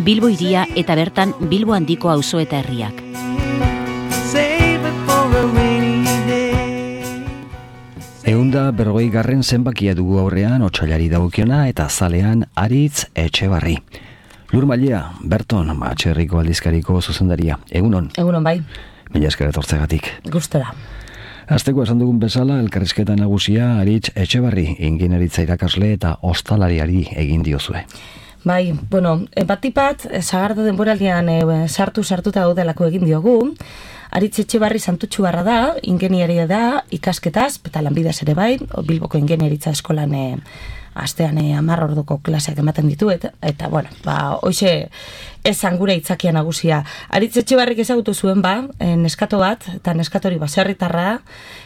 Bilbo hiria eta bertan Bilbo handiko auzo eta herriak. Ehunda 40. zenbakia dugu aurrean otsailari dagokiona eta zalean Aritz Etxebarri. Lur Mailea, Berton, Atxerriko aldizkariko zuzendaria. Egunon? Egunon bai. Mila esker etortzegatik. Gustora. Asteko esan dugun bezala, elkarrizketa nagusia Aritz Etxebarri, ingeniaritza irakasle eta ostalariari egin diozue. Bai, batipat, sagardo denboraldian sartuta daudelako egin diogu. Aritz Etxebarri santutxu barra da, ingeniaria da, ikasketaz, eta lanbidez ere bai, Bilboko ingeniaritza eskolan astean 10 orduko klaseak ematen ditu, eta hoxe esan gure itzakia nagusia. Aritz Etxebarrik ezagutu zuen neskato bat, eta neskatori baserritarra,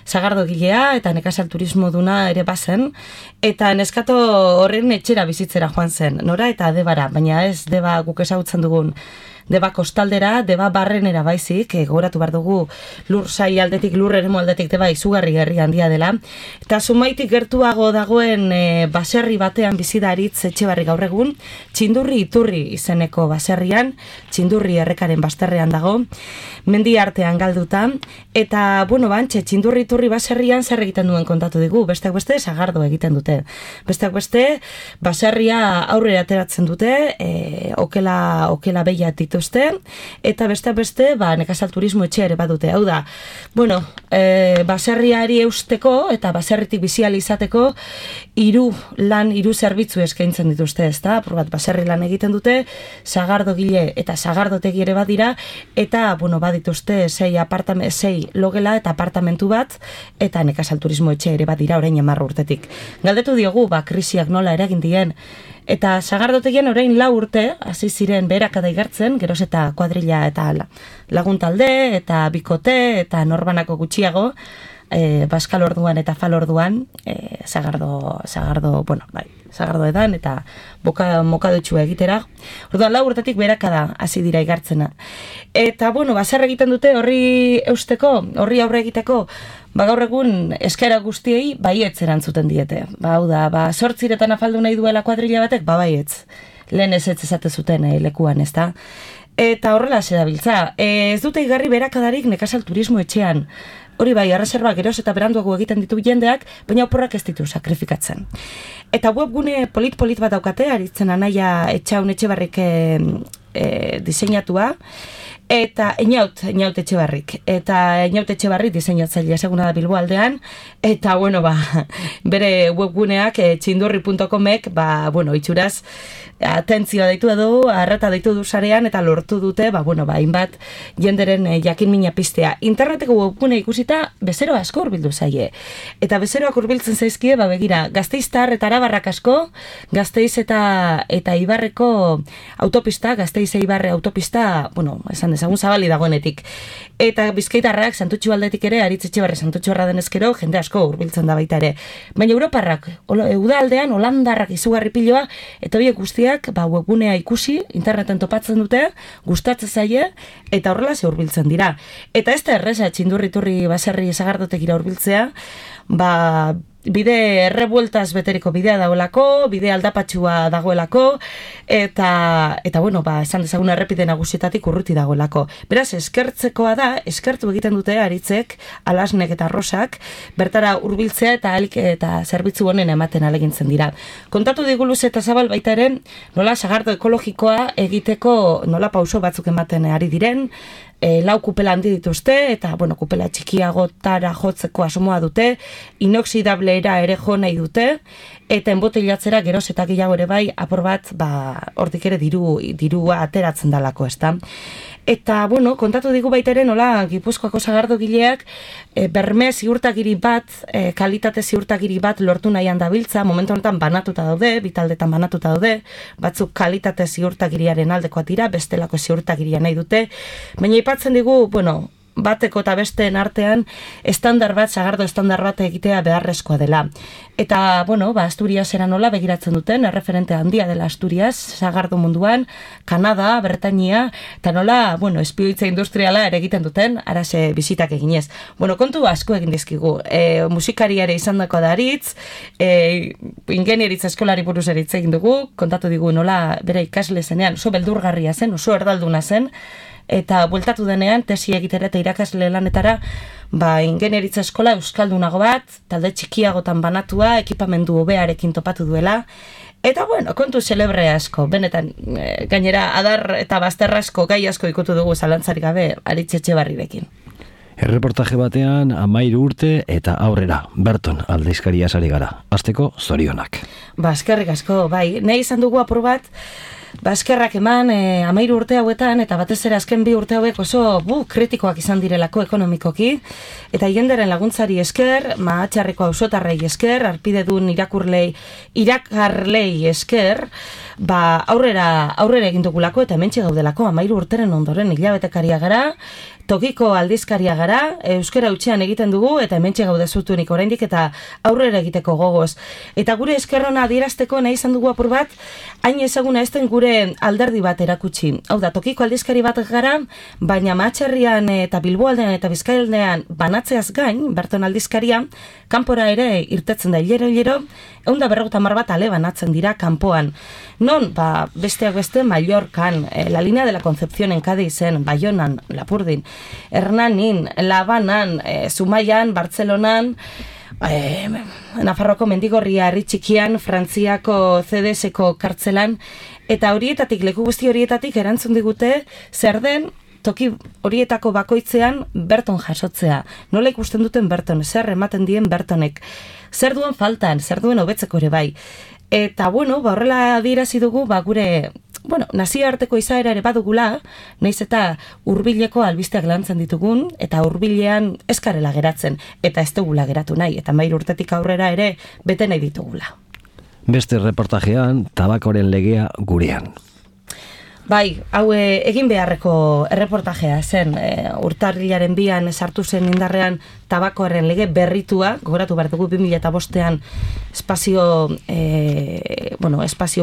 sagardo gilea, eta nekazal turismo duna ere bazen, eta neskato horren etxera bizitzera joan zen, nora eta Debara, baina ez Deba guk ezagutzen dugun, Deba kostaldera, Deba barrenera baizik, gogoratu behar dugu lur sai aldetik, lur eremu aldetik Deba izugarri herri handia dela. Eta Zumaitik gertuago dagoen baserri batean bizi da Aritz Etxebarri gaur egun, Txindurri Iturri izeneko baserrian, Txindurri errekaren basterrean dago, mendi artean galduta, eta Txindurri Iturri baserrian zer egiten duen kontatu digu, besteak beste sagardo egiten dute. Besteak beste baserria aurrera ateratzen dute, okela behiat dituzte, eta beste nekazal turismo etxe ere badute. Hau da, baserriari eusteko eta baserritik bizial izateko hiru zerbitzu eskaintzen dituzte, ezta? Apur bat baserri lan egiten dute, sagardo gile eta sagardotegi ere badira, eta badituzte 6 logela eta apartamentu bat, eta nekazal turismo etxe ere badira orain 10 urtetik. Galdetu diogu, krisiak nola eragin dien, eta sagardotegien orain 4 urte, hasi ziren beherakada igartzen, geroz eta kuadrilla eta laguntalde, eta bikote, eta norbanako gutxiago, baskal orduan eta fal orduan, sagardo edan, eta mokadotxu egitera. Orduan 4 urtetik beherakada hasi dira igartzena. Eta, zer egiten dute horri eusteko, horri aurre egiteko, gaur egun eskaera guztiei baietz erantzuten diete. Hau da, 8 afaldu nahi duela kuadrilla batek, baietz. Lehen ez esate zuten lekuan, ez da? Eta horrela zerabiltza. Ez dute igarri berakadarik nekazal turismo etxean. Hori bai, erreserba geroz eta beranduago egiten ditu jendeak, baina oporrak ez ditu sakrifikatzen. Eta webgune polit bat daukate, Aritzen Anaia Etxaun Etxebarrik diseinatua, eta Einaut Etxebarrik. Eta Einaut Etxebarrik diseinatzailea seguna da Bilbo aldean, eta bere webguneak txindurri.comek, itxuraz, atentzioa deitu du, arreta deitu du sarean, eta lortu dute, hainbat jenderen jakin mina piztea. Interneteko webgune ikusita, bezero asko urbildu zaie. Eta bezeroak urbiltzen zaizkie, begira, Gasteiztar eta Arabarrak asko, Gasteiz eta Ibarreko autopista, Gasteiz Ibarre autopista, esan dezagun zabali dagoenetik. Eta Bizkaitarrak, Santutxu aldetik ere, Aritz Etxebarri Santutxu erra denezkero, jende asko urbiltzen da baita ere. Baina Europarrak, udaldean, Holandarrak izugarri piloa, eta horiek guztiak, webgunea ikusi, interneten topatzen dute, gustatzen zaie, eta horrela ze urbiltzen dira. Eta ez da erreza, Txindurri Iturri baserri sagardotekira urbiltzea, bide errebueltaz beteriko bidea dagoelako, bide aldapatxua dagoelako, eta esan dezagun errepide nagusietatik urruti dagoelako. Beraz, eskertzekoa da, eskertu egiten dute Aritzek, Alasnek eta Rosak, bertara hurbiltzea eta zerbitzu honen ematen alegintzen dira. Kontatu diguluz eta zabal baita ere, nola sagardo ekologikoa egiteko nola pauso batzuk ematen ari diren, 4 kupela handi dituzte, eta kupela txikiagotara jotzeko asmoa dute, inoxidablera ere jo nahi dute, eta enbotilatzera geroz eta gehiago ere bai, apur bat, hortik ere dirua ateratzen dalako, ezta? Eta, kontatu digu baita ere, nola, Gipuzkoako sagardo gileak, berme ziurtagiri bat, kalitate ziurtagiri bat lortu nahian dabiltza, momentu honetan banatuta daude, bitaldetan banatuta daude, batzuk kalitate ziurtagiriaren aldekoa dira, bestelako ziurtagiria nahi dute, baina aipatzen digu, bateko eta besteen artean estandar bat, sagardo estandar bat egitea beharrezkoa dela. Eta, bueno, Asturiasera nola begiratzen duten, erreferente handia dela Asturias, sagardo munduan, Kanada, Bretainia, eta nola, bueno, espioitza industriala ere egiten duten, arase bisitak eginez. Bueno, kontu asko egin dizkigu. Musikariare izandako da aritz, ingenieritza eskolari buruz eritz egin dugu, kontatu digu nola bere ikasle zenean, oso beldurgarria zen, oso erdalduna zen, eta bueltatu denean, tesi egitera eta irakasle lanetara, ingenieritza eskola euskaldunago bat, talde txikiagotan banatua, ekipamendu hobearekin topatu duela, eta bueno, kontu celebre asko, benetan, gainera adar eta bazterra asko, gai asko ikutu dugu zalantzarik gabe Aritz Etxebarrirekin. Erreportaje batean 13 urte eta aurrera, Berton aldizkaria sari gara. Hasteko zorionak. Eskerrik asko, bai, nahi izan dugu apur bat, eskerrak eman 13 urte hauetan, eta batez ere azken 2 urte hauek oso kritikoak izan direlako ekonomikoki, eta jenderen laguntzari esker, Mahatxarreko auzotarrei esker, arpidedun irakarlei esker, aurrera egin dugulako eta hementxe gaudelako 13 urteren ondoren hilabetekaria gara, tokiko aldizkaria gara, euskara hutsean egiten dugu, eta hementxe gaude zutunik oraindik eta aurrera egiteko gogoz. Eta gure eskerrona adierazteko nahi izan dugu apur bat, hain ezaguna ez den gure alderdi bat erakutsi. Hau da, tokiko aldizkari bat gara, baina Mahatxerrian eta Bilboaldean eta Bizkaialdean banatzeaz gain, Berton aldizkaria, kanpora ere irtetzen da hilero, 150 bat ale banatzen dira kanpoan. Non, besteak beste, Mallorcan, la línea de la Concepción en Cádizen, Baionan, Lapurdin, Hernanin, Labanan, Zumaian, Bartzelonan, Nafarroko Mendigorria herri txikian, Frantziako CDS-ko kartzelan, eta horietatik, leku guzti horietatik erantzun digute, zer den toki horietako bakoitzean Berton jasotzea. Nola ikusten duten Berton, zer ematen dien Bertonek, zer duen faltan, zer duen hobetzeko ere bai. Eta, bueno, horrela adierazi dugu, gure, nazioarteko izaera ere badugula, nahiz eta hurbileko albisteak lantzen ditugun, eta hurbilean eskarela geratzen, eta ez dugula geratu nahi, eta 13 urtetik aurrera ere bete nahi ditugula. Beste reportajean, tabakoren legea gurean. Bai, hau egin beharreko erreportajea zen, urtarrilaren 2an sartu zen indarrean tabakoaren lege berritua, gogoratu behar dugu 2005an espazio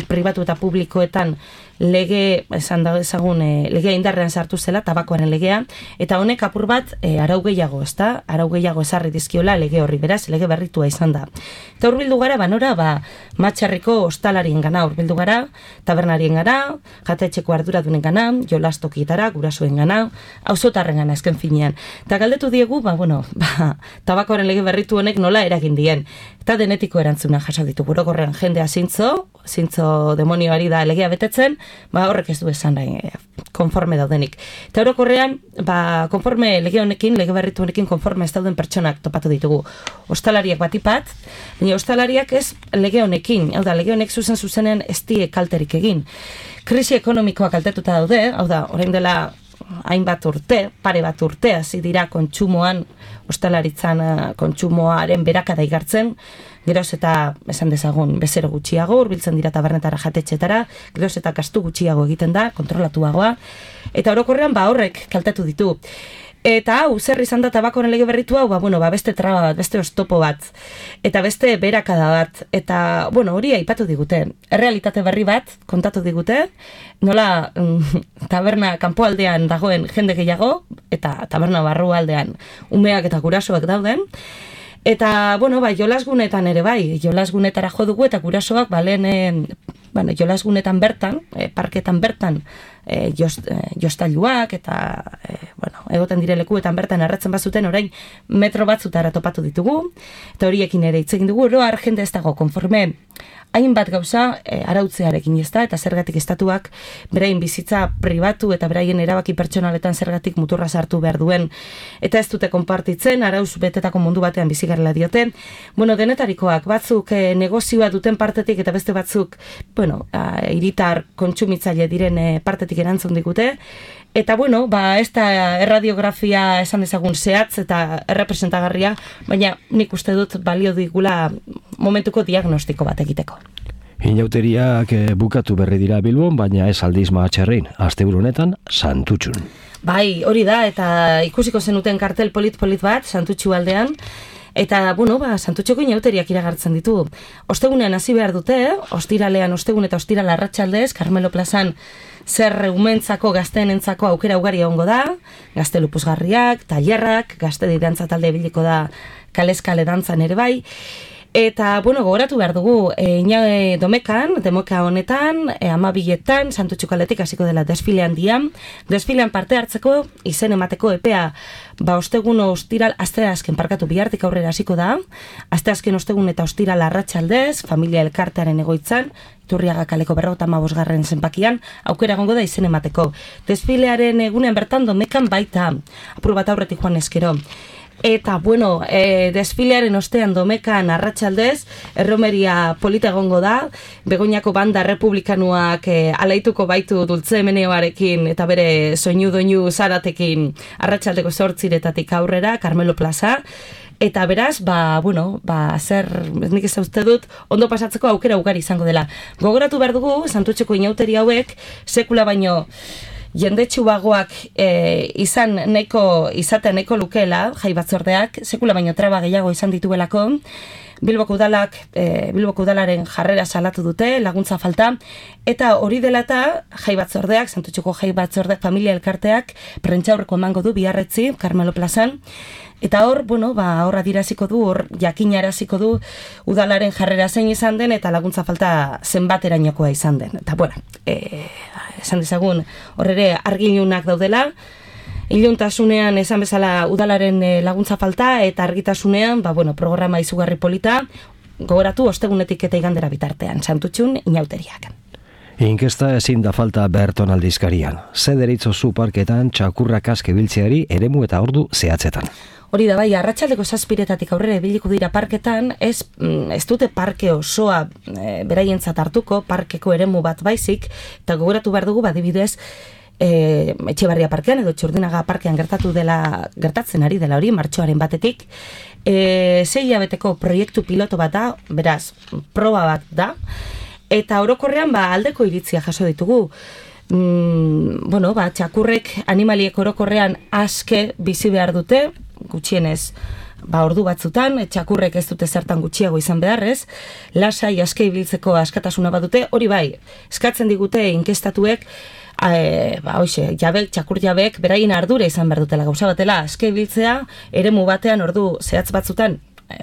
pribatu eta publikoetan lege, esan da ezagun, legea indarrean sartu zela, tabakoaren legea, eta honek apur bat arau gehiago, ezta? Arau gehiago ezarri dizkiola lege horri, beraz, lege berritua izan da. Eta hurbildu gara, nora, Mahatxarriko ostalarien gana hurbildu gara, tabernarien gana, jatetxeko arduradunen gana, jolastokietara, gurasoen gana, auzotarren gana ezken finean. Eta galdetu diegu, tabakoaren lege berritu honek nola eragin dien. Eta denetiko erantzuna jaso ditu, orokorrean jendea zintzo demonioari da legea betetzen, horrek ez du esan nahi, konforme daudenik. Eta orokorrean, konforme lege honekin, lege berritu honekin konforme ez dauden pertsonak topatu ditugu. Ostalariak batipat, baina ostalariak ez lege honekin, hau da, lege honek zuzen-zuzenen ez die kalterik egin. Krisi ekonomikoa kaltetuta daude, hau da, orain dela hainbat urte, pare bat urte, hasi dira kontsumoan, ostalaritzan kontsumoaren berakada igartzen, geroz eta, esan dezagun, bezero gutxiago, hurbiltzen dira tabernetara jatetxetara, geroz eta gastu gutxiago egiten da, kontrolatuagoa, eta orokorrean horrek kaltetu ditu. Eta hau, zer izan da tabakoren lege berritu hau, beste traba bat, beste oztopo bat, eta beste berakada bat, eta, hori aipatu digute. Errealitate berri bat kontatu digute, nola taberna kanpoaldean dagoen jende gehiago, eta taberna barrualdean umeak eta gurasoak dauden, eta, jolasgunetan ere bai, jolasgunetara jo dugu, eta gurasoak jolasgunetan bertan, parketan bertan, jostailuak eta egoten dire lekuetan bertan erretzen bazuten orain metro batzutara topatu ditugu, eta horiekin ere hitz egin dugu, oroar jende ez dago konforme hainbat gauza arautzearekin ez da, eta zergatik estatuak beraien bizitza pribatu eta beraien erabaki pertsonaletan zergatik muturra sartu behar duen, eta ez dute konpartitzen, arauz betetako mundu batean bizigarrela diote. Denetarikoak, batzuk negozioa duten partetik eta beste batzuk, hiritar kontsumitzaile diren partetik erantzun digute, eta ez da erradiografia esan dezagun zehatz eta errepresentagarria, baina nik uste dut balio digula momentuko diagnostiko bat egiteko. Inauteriak bukatu berri dira Bilbon, baina ez aldiz Mahatxerrin, asteburu honetan Santutxun. Bai, hori da, eta ikusiko zenuten kartel polit-polit bat, Santutxu aldean, eta, Santutxoko inauteriak iragartzen ditu. Ostegunean hasi behar dute, ostiralean ostegun eta ostiral arratsaldez, Carmelo plazan zer umentzako gazteenentzako aukera ugari egongo da, gazte lupusgarriak, tailerrak, gazte dantza talde biliko da kaleskale dantzan ere bai. Eta, gogoratu behar dugu, domekan, demoka honetan, 12etan, Santutxuko aldetik hasiko dela desfile handian. Desfilean parte hartzeko, izen emateko epea, ostegun ostiral, asteazken parkatu bihartik aurrera hasiko da. Asteazken ostegun eta ostiral arratsaldez, familia elkartearen egoitzan, Iturriaga kaleko 55. zenbakian, aukera egongo da izen emateko. Desfilearen egunean bertan domekan baita, apur bat aurretik joan eskero. Eta, desfilearen ostean domekan arratsaldez, erromeria polita egongo da, Begoñako banda republikanuak alaituko baitu Dultze Meneoarekin eta bere soinu doinu zaratekin arratsaldeko 8:00 aurrera, Carmelo plaza. Eta beraz, nik ez uste dut, ondo pasatzeko aukera ugari izango dela. Gogoratu behar dugu, Santutxoko inauteri hauek, sekula baino, jendetsu bagoak izaten nahiko lukeela, jai batzordeak, sekula baino traba gehiago izan dituelako, Bilboko udalaren jarrera salatu dute, laguntza falta, eta hori dela eta jai batzordeak, Santutxoko jai batzordeak, familia elkarteak, prentxaurreko emango du biharretzi, Carmelo plazan, eta hor, hor adiraziko du, hor jakinaraziko du udalaren jarrera zein izan den, eta laguntza falta zenbaterainokoa izan den. Eta, esan dezagun, hor ere argilunak daudela, iluntasunean esan bezala udalaren laguntza falta, eta argitasunean, programa izugarri polita, gogoratu ostegunetik eta igandera bitartean, Santutxun inauteriak. Inkesta ezin da falta Berton aldizkarian. Ze deritzozu parketan txakurrak aske biltzeari eremu eta ordu zehatzetan. Hori da bai, arratsaldeko 7:00 aurrera ibiliko dira parketan, ez dute parke osoa beraientzat hartuko, parkeko eremu bat baizik, eta gogoratu behar dugu, adibidez, Etxebarria parkean edo Txurdinaga parkean gertatzen ari dela hori, martxoaren batetik. 6 hilabeteko proiektu piloto bat da, beraz, proba bat da, eta orokorrean aldeko iritzia jaso ditugu. Txakurrek animaliek orokorrean aske bizi behar dute, gutxienez ordu batzutan, txakurrek ez dute zertan gutxiago izan beharrez, lasai aske ibiltzeko askatasuna badute, hori bai, eskatzen digute inkestatuek, txakur jabek beraien ardura izan behar dutela, gauza batela, aske ibiltzea, eremu batean ordu zehatz batzutan,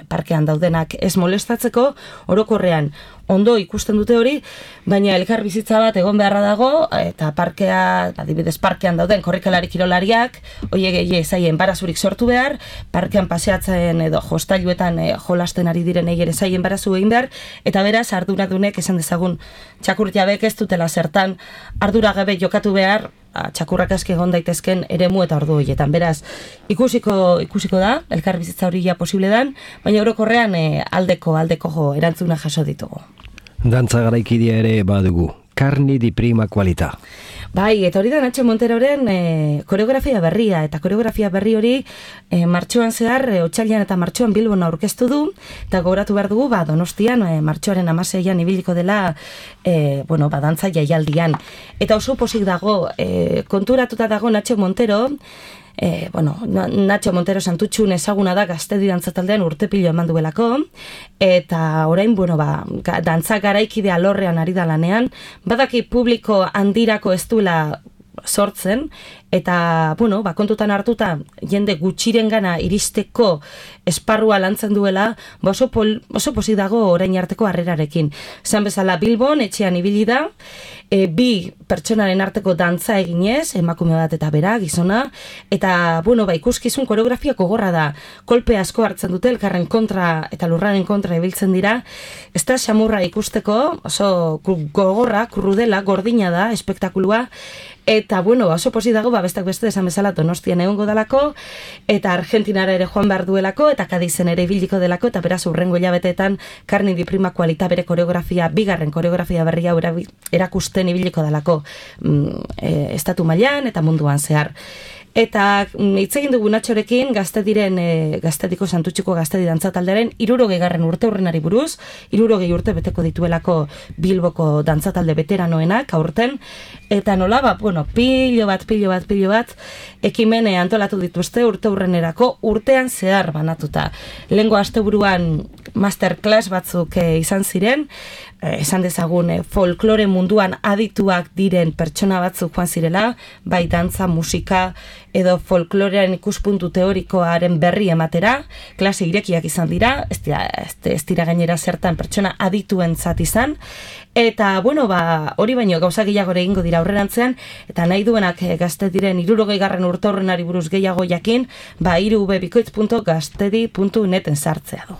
parkean daudenak ez molestatzeko, orokorrean ondo ikusten dute hori, baina elkar bizitza bat egon beharra dago, eta parkea, adibidez parkean dauden korrikalari kirolariak, oie zaien barazurik sortu behar, parkean paseatzen edo jostailuetan jolasten ari direnei ere zaien barazu egin behar, eta beraz arduradunek esan dezagun txakur jabek ez dutela zertan ardura gabe jokatu behar, txakurrak aske egon daitezken eremu eta ordu horietan. Beraz, ikusiko da, elkar bizitza hori ja posible dan, baina orokorrean aldeko erantzuna jaso ditugu. Dantza garaikidea ere badugu, Carni di prima qualità. Bai, eta hori da Nacho Monteroren koreografia berria, eta koreografia berri hori martxoan zehar, otsailean eta martxoan Bilbon aurkeztu du, eta gogoratu behar dugu, Donostian, martxoaren 16an ibiliko dela, dantza jaialdian. Eta oso posik dago, konturatuta dago Nacho Montero, Nacho Montero Santutxun ezaguna da gaztedi dantzataldean urtepilo eman duelako, eta orain, dantza garaikide alorrean ari da lanean, badaki publiko handirako ez duela sortzen, eta, kontutan hartuta, jende gutxiren gana iristeko esparrua lantzen duela, oso pozik dago orain arteko harrerarekin. Zan bezala Bilbon, etxean ibili da, bi pertsonaren arteko dantza eginez, emakume bat eta bera, gizona, eta, ikuskizun koreografia gogorra da, kolpe asko hartzen dute, elkarren kontra eta lurraren kontra ibiltzen dira, ez da xamurra ikusteko, oso gogorra, krudela, gordina da, espektakulua, eta, oso pozik dago, bestak beste esan bezala Donostian egongo dalako, eta Argentinara ere joan behar duelako, eta Kadizen ere ibiliko delako, eta beraz urrengo hilabeteetan Carni di prima qualità bere koreografia, bigarren koreografia berria erakusten ibiliko dalako estatu mailan eta munduan zehar. Eta hitz egin dugu Natxorekin Gaztediko Santutxiko Gaztedi dantza taldearen 60. urte urrenari buruz, 60 urte beteko dituelako Bilboko dantza talde veteranoenak aurten, eta nola, pilo bat ekimene antolatu dituzte urte urrenerako urtean zehar banatuta. Lehengo asteburuan masterclass batzuk izan ziren, esan dezagun folklore munduan adituak diren pertsona batzuk joan zirela, bai dantza, musika edo folklorearen ikuspuntu teorikoaren berri ematera, klase irekiak izan dira, ez dira gainera zertan pertsona adituentzat izan, eta hori baino gauza gehiago egingo dira aurrerantzean, eta nahi duenak Gazte diren 60. urte horrenari buruz gehiago jakin, irubebikoitz.gaztedi.neten sartzea du.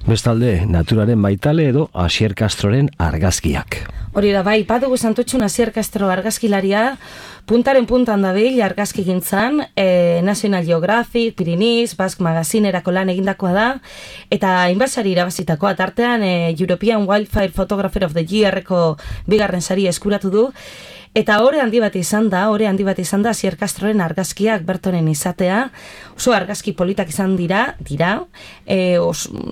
Bestalde, naturaren baitale edo Asier Castroren argazkiak. Hori da, bai, badugu Santutxun Asier Castro argazkilaria, puntaren puntan dabil argazki gintzan, National Geographic, Pyrenees, Basque Magazinerako lan egindakoa da, eta hainbasari irabazitakoa, tartean European Wildfire Photographer of the Year-eko 2. sari eskuratu du, eta ore handi bat izan da Asier Castroren argazkiak Bertonen izatea, oso argazki politak izan dira,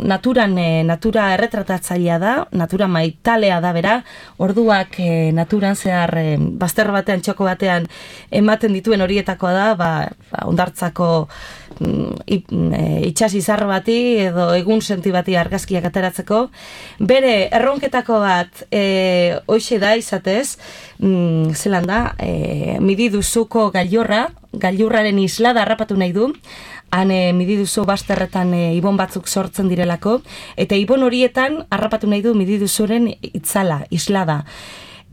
natura erretratatzailea da, natura maitalea da bera, orduak naturan zehar bazterro batean, txoko batean ematen dituen horietakoa da, ondartzako itxas izar bati edo egun senti bati argazkiak ateratzeko. Bere erronketako bat hoxe da izatez, zelan da, Mididuzuko gailurraren islada harrapatu nahi du, han Mididuzu basterretan ibon batzuk sortzen direlako, eta ibon horietan harrapatu nahi du Mididuzuren islada.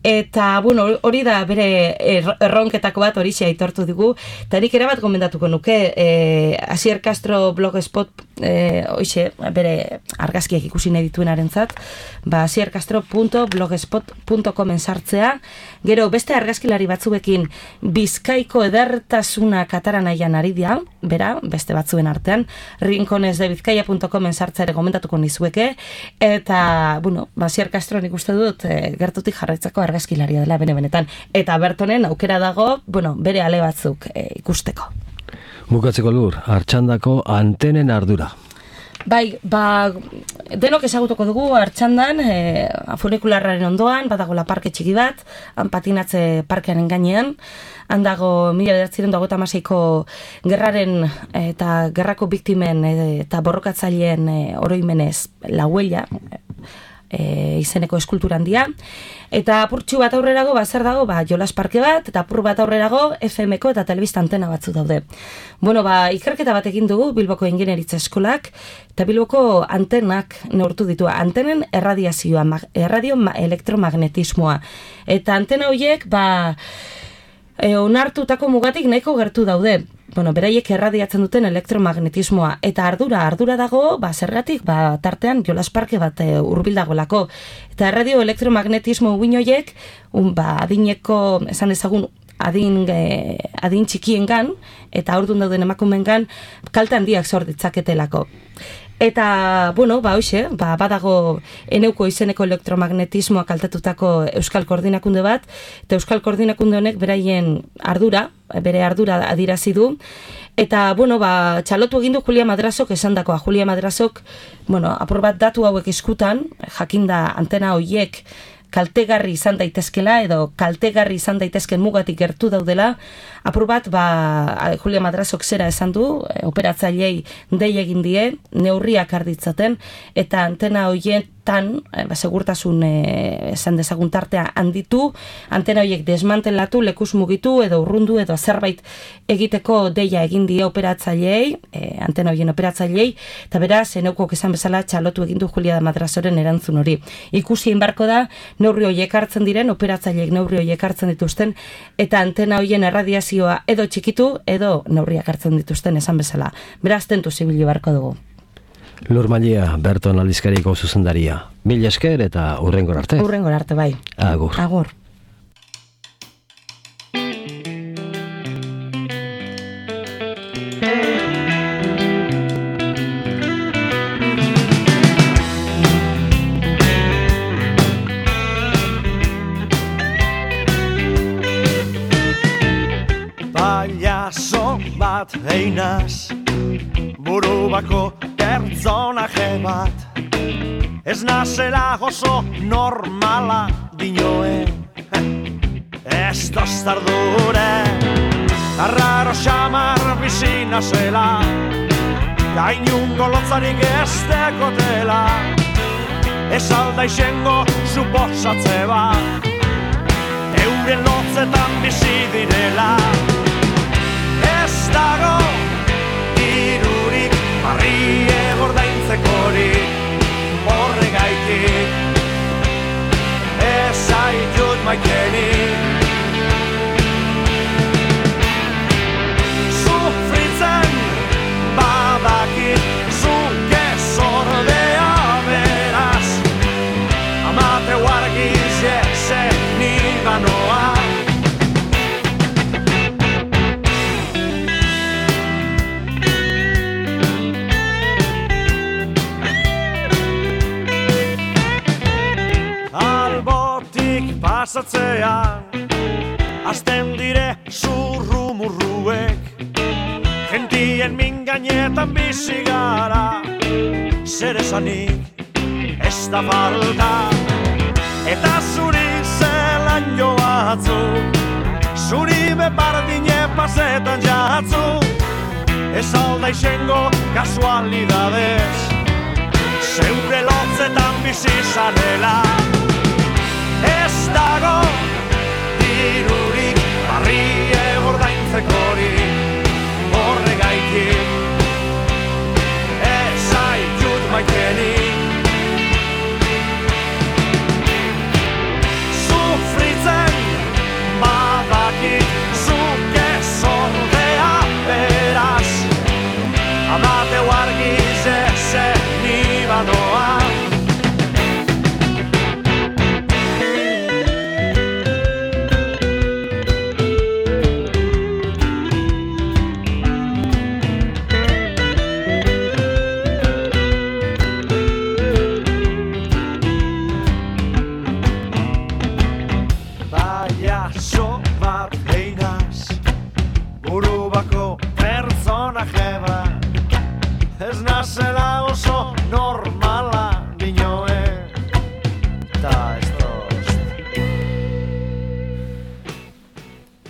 Eta, hori da bere erronketako bat horixe aitortu digu, eta nik erabat gomendatuko nuke Asier Castro blogspot, hoxe, bere argazkiak ikusi nahi dituenarentzat, asiercastro.blogspot.comen sartzea, gero beste argazkilari batzuekin Bizkaiko edertasuna katara nahian ari dira, bera, beste batzuen artean, rinconesdebizkaia.comen sartzea ere gomendatuko nizueke, eta, Asier Castro nik uste dut gertutik jarraitzako argazkilaria dela benetan, eta Bertonen aukera dago, bere ale batzuk ikusteko. Bukatzeko Lur, Artxandako antenen ardura. Bai, denok ezagutuko dugu Artxandan, funikularraren ondoan, badagoela parke txiki bat, han patinatze parkearen gainean, han dago 1956ko gerraren eta gerrako biktimen eta borrokatzaileen oroimenez la huella, izeneko eskultura handia, eta apurtxu bat aurrerago, zer dago, jolas parke bat, eta apur bat aurrerago, FM-ko eta telebista antena batzu daude. Ikerketa bat egin dugu Bilboko Ingeniaritza Eskolak, eta Bilboko antenak neurtu ditu, antenen erradiazioa, erradio elektromagnetismoa, eta antena horiek, onartutako mugatik nahiko gertu daude. Beraiek erradiatzen duten elektromagnetismoa, eta ardura dago, zergatik, tartean jolas parke bat hurbildagoelako. Eta erradio elektromagnetismo uin horiek, adineko, esan ezagun, adin txikiengan, eta aurdun dauden emakumengan, kalte handiak sor ditzaketelako. Eta, hoxe, badago eneuko izeneko elektromagnetismoa kaltetutako Euskal Koordinakunde bat, eta Euskal Koordinakunde honek bere ardura adirazi du, eta, txalotu egin du Julia Madrazok esandakoa. Julia Madrazok, apur bat datu hauek eskutan, jakinda antena horiek kaltegarri izan daitezkela, edo kaltegarri izan daitezken mugatik gertu daudela, apur bat, Julia Madrazok zera esan du, operatzailei dei egin die, neurriak arditzaten, eta antena horietan, segurtasun esan dezagun tartea handitu, antena horiek desmantelatu, lekuz mugitu, edo urrundu, edo zerbait egiteko deia egin die operatzaileei, antena horien operatzaileei, eta beraz, eneukok esan bezala txalotu egin du Julia Madrazoren erantzun hori. Ikusi inbarko da, neurri horiek hartzen diren, operatzaileek neurri horiek hartzen dituzten, eta antena horien erradiazioa edo txikitu, edo neurriak hartzen dituzten esan bezala. Beraz, tentu zibili barko dugu. Lur Malia, Berton aldizkariko zuzendaria. Mil esker eta hurrengor arte. Hurrengor arte, bai. Agur. Agur. Payaso bat einaz, buru bako pertsonaje bat. Ez nazela oso normala dinoen, ez tostardure. Arraro xamar bizina zela, gainungo lotzarik ez dekotela. Ez alda izengo suposatze bat, euren lotzetan bizi direla. Ez dago dirurik barrie gordaintzekorik, horregaitik ez zaitut maitenik. Sufritzen badakit zuk ez ordea beraz, amateu argiz jezen nibanoa. Pasatzean, azten dire zurrumurruek, gentien min gainetan bizi gara, zer esanik ez da falta. Eta zuri zelan joatzu, zuri bepardine pasetan jatzu, ez alda izengo kasualidadez, zeure lotzetan bizi zarela.